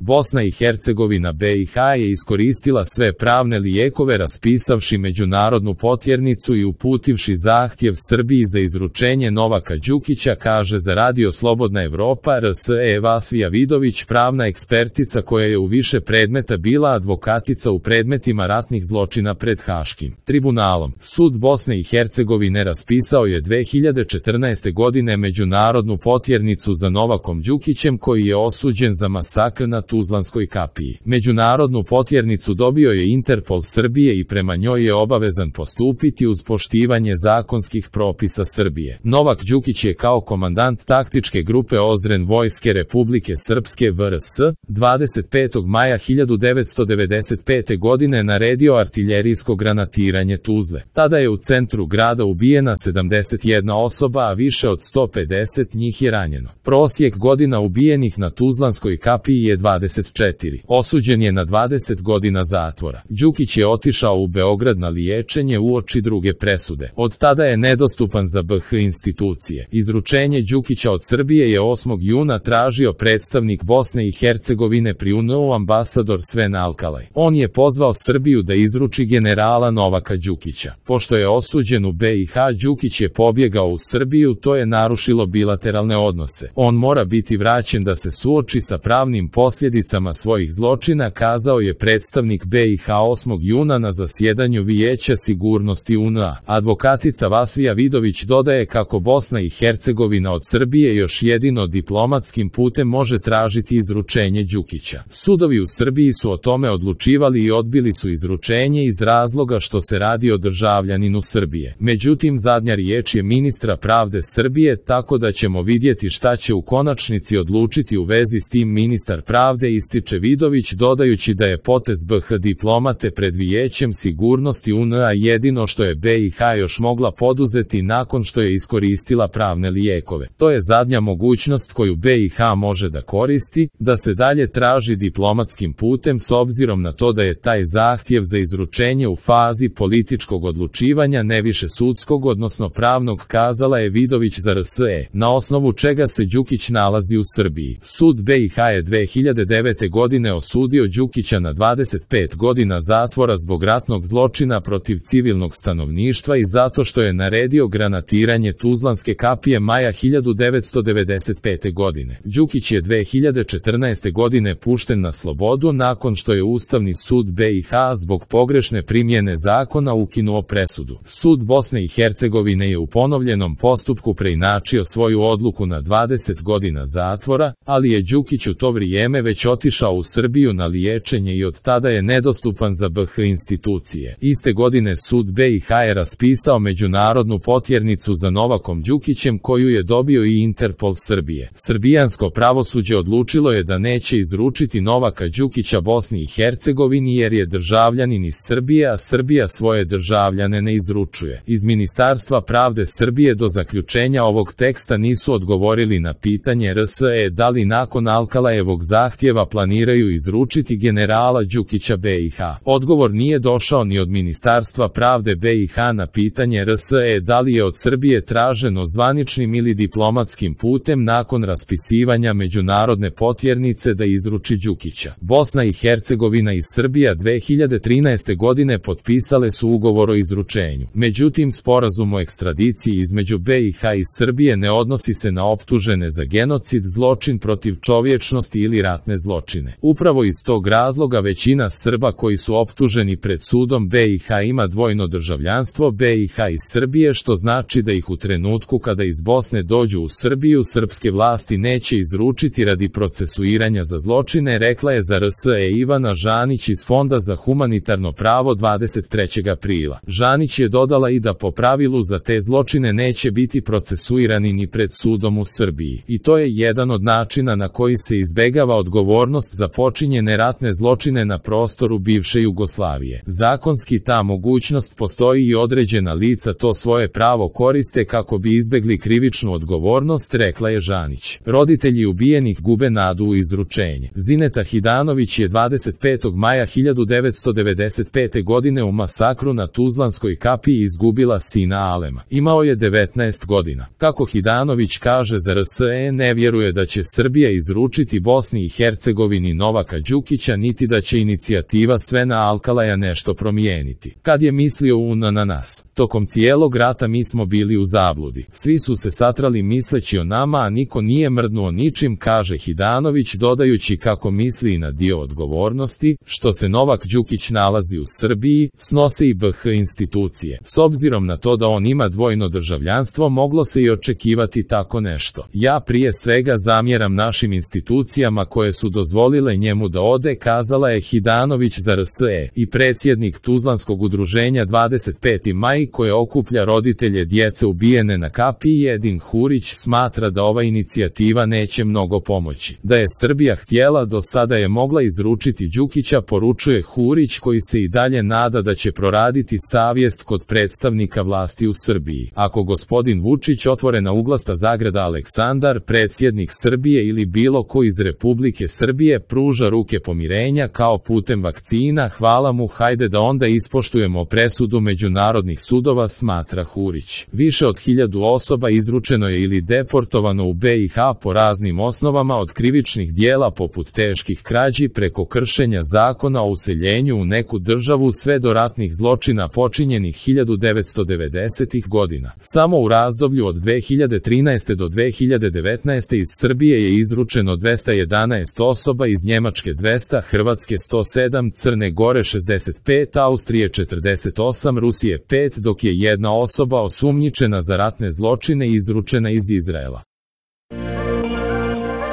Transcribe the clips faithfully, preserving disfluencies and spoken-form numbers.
Bosna i Hercegovina B i H je iskoristila sve pravne lijekove raspisavši međunarodnu potjernicu i uputivši zahtjev Srbiji za izručenje Novaka Đukića, kaže za Radio Slobodna Evropa R S E Vasvija Vidović, pravna ekspertica koja je u više predmeta bila advokatica u predmetima ratnih zločina pred Haškim tribunalom. Sud Bosne i Hercegovine raspisao je dve hiljade četrnaeste. godine međunarodnu potjernicu za Novakom Đukićem koji je osuđen za masakr na Tuzlanskoj kapiji. Međunarodnu potjernicu dobio je Interpol Srbije i prema njoj je obavezan postupiti uz poštivanje zakonskih propisa Srbije. Novak Đukić je kao komandant taktičke grupe Ozren Vojske Republike Srpske V R S dvadeset petog maja hiljadu devetsto devedeset pete. godine naredio artiljerijsko granatiranje Tuzle. Tada je u centru grada ubijena sedamdeset jedna osoba, a više od sto pedeset njih je ranjeno. Prosjek godina ubijenih na Tuzlanskoj kapiji je dvadeset četiri. Osuđen je na dvadeset godina zatvora. Đukić je otišao u Beograd na liječenje uoči druge presude. Od tada je nedostupan za B H institucije. Izručenje Đukića od Srbije je osmog juna tražio predstavnik Bosne i Hercegovine pri U N U ambasador Sven Alkalaj. On je pozvao Srbiju da izruči generala Novaka Đukića. Pošto je osuđen u B i H, Đukić je pobjegao u Srbiju, to je narušilo bilateralne odnose. On mora biti vraćen da se suoči sa pravnim posljedicama svojih zločina, kazao je predstavnik B i H osmog juna na zasjedanju Vijeća sigurnosti U N A. Advokatica Vasvija Vidović dodaje kako Bosna i Hercegovina od Srbije još jedino diplomatskim putem može tražiti izručenje Đukića. Sudovi u Srbiji su o tome odlučivali i odbili su izručenje iz razloga što se radi o državljaninu Srbije. Međutim, zadnja riječ je ministra pravde Srbije, tako da ćemo vidjeti šta će u konačnici odlučiti u vezi s tim ministar pravde, ističe Vidović, dodajući da je potez B H diplomate pred Vijećem sigurnosti U N A jedino što je B i H još mogla poduzeti nakon što je iskoristila pravne lijekove. To je zadnja mogućnost koju B i H može da koristi, da se dalje traži diplomatskim putem s obzirom na to da je taj zahtjev za izručenje u fazi političkog odlučivanja, ne više sudskog odnosno pravnog, kazala je Vidović za R S E, na osnovu čega se Đukić nalazi u Srbiji. Sud B i H je dve hiljade devete. godine osudio Đukića na dvadeset pet godina zatvora zbog ratnog zločina protiv civilnog stanovništva i zato što je naredio granatiranje Tuzlanske kapije maja hiljadu devetsto devedeset pete. godine. Đukić je dve hiljade četrnaeste. godine pušten na slobodu nakon što je Ustavni sud B i H zbog pogrešne primjene zakona ukinuo presudu. Sud Bosne i Hercegovine je u ponovljenom postupku preinačio svoju odluku na dvadeset godina zatvora, ali je Đukić u to vrijeme već otišao u Srbiju na liječenje i od tada je nedostupan za B H institucije. Iste godine sud B i H je raspisao međunarodnu potjernicu za Novakom Đukićem koju je dobio i Interpol Srbije. Srbijansko pravosuđe odlučilo je da neće izručiti Novaka Đukića Bosni i Hercegovini jer je državljanin iz Srbije, a Srbija svoje državljane ne izručuje. Iz Ministarstva pravde Srbije do zaključenja ovog teksta nisu odgovorili na pitanje R S E da li nakon Alkalajevog zahtjeva planiraju izručiti generala Đukića B i H. Odgovor nije došao ni od Ministarstva pravde B i H na pitanje R S E da li je od Srbije traženo zvaničnim ili diplomatskim putem nakon raspisivanja međunarodne potjernice da izruči Đukića. Bosna i Hercegovina i Srbija dve hiljade trinaeste. godine potpisale su ugovor o izručenju. Međutim, sporazum o ekstradiciji između B i H i Srbije ne odnosi se na optužene za genocid, zločin protiv čovječnosti ili ratne zločine. Upravo iz tog razloga većina Srba koji su optuženi pred sudom B i H ima dvojno državljanstvo B i H i Srbije, što znači da ih u trenutku kada iz Bosne dođu u Srbiju srpske vlasti neće izručiti radi procesuiranja za zločine, rekla je za R S E Ivana Žanić iz Fonda za humanitarno pravo dvadeset trećeg aprila. Žanić je dodala i da po pravilu za te zločine neće biti procesuirani ni pred sudom u Srbiji. I to je jedan od načina na koji se izbegava odgovornost za počinjene ratne zločine na prostoru bivše Jugoslavije. Zakonski ta mogućnost postoji i određena lica to svoje pravo koriste kako bi izbegli krivičnu odgovornost, rekla je Žanić. Roditelji ubijenih gube nadu u izručenje. Zineta Hidanović je dvadeset petog maja hiljadu devetsto devedeset pete. godine u masakru na Tuzlanskoj kapiji izgubila sina Alema. Imao je devetnaest godina. Kako Hidanović kaže za R S E, ne vjeruje da će Srbija izručiti Bosni i Hercegovini Hercegovini Novaka Đukića niti da će inicijativa Svena Alkalaja nešto promijeniti. Kad je mislio on na nas, tokom cijelog rata mi smo bili u zabludi. Svi su se satrali misleći o nama, a niko nije mrdnuo ničim, kaže Hidanović, dodajući kako misli i na dio odgovornosti, što se Novak Đukić nalazi u Srbiji, snose i B H institucije. S obzirom na to da on ima dvojno državljanstvo, moglo se i očekivati tako nešto. Ja prije svega zamjeram našim institucijama koje su dozvolile njemu da ode, kazala je Hidanović za R S E i predsjednik Tuzlanskog udruženja dvadeset peti maj koje okuplja roditelje djece ubijene na kapiji. Edin Hurić smatra da ova inicijativa neće mnogo pomoći. Da je Srbija htjela, do sada je mogla izručiti Đukića, poručuje Hurić, koji se i dalje nada da će proraditi savjest kod predstavnika vlasti u Srbiji. Ako gospodin Vučić, otvorena uglasta zagrada Aleksandar, predsjednik Srbije ili bilo ko iz Republike Srbije pruža ruke pomirenja kao putem vakcina, hvala mu, hajde da onda ispoštujemo presudu međunarodnih sudova, smatra Hurić. Više od hiljadu osoba izručeno je ili deportovano u B i H po raznim osnovama, od krivičnih dijela poput teških krađi preko kršenja zakona o useljenju u neku državu sve do ratnih zločina počinjenih hiljadu devetsto devedesetih godina. Samo u razdoblju od dve hiljade trinaeste do dve hiljade devetnaeste iz Srbije je izručeno dvesta jedanaest osoba, iz Njemačke dvesta, Hrvatske sto sedam, Crne Gore šezdeset pet, Austrije četrdeset osam, Rusije pet, dok je jedna osoba osumnjičena za ratne zločine izručena iz Izraela.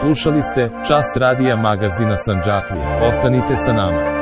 Slušali ste Čas radija magazina Sandžaklije. Ostanite sa nama.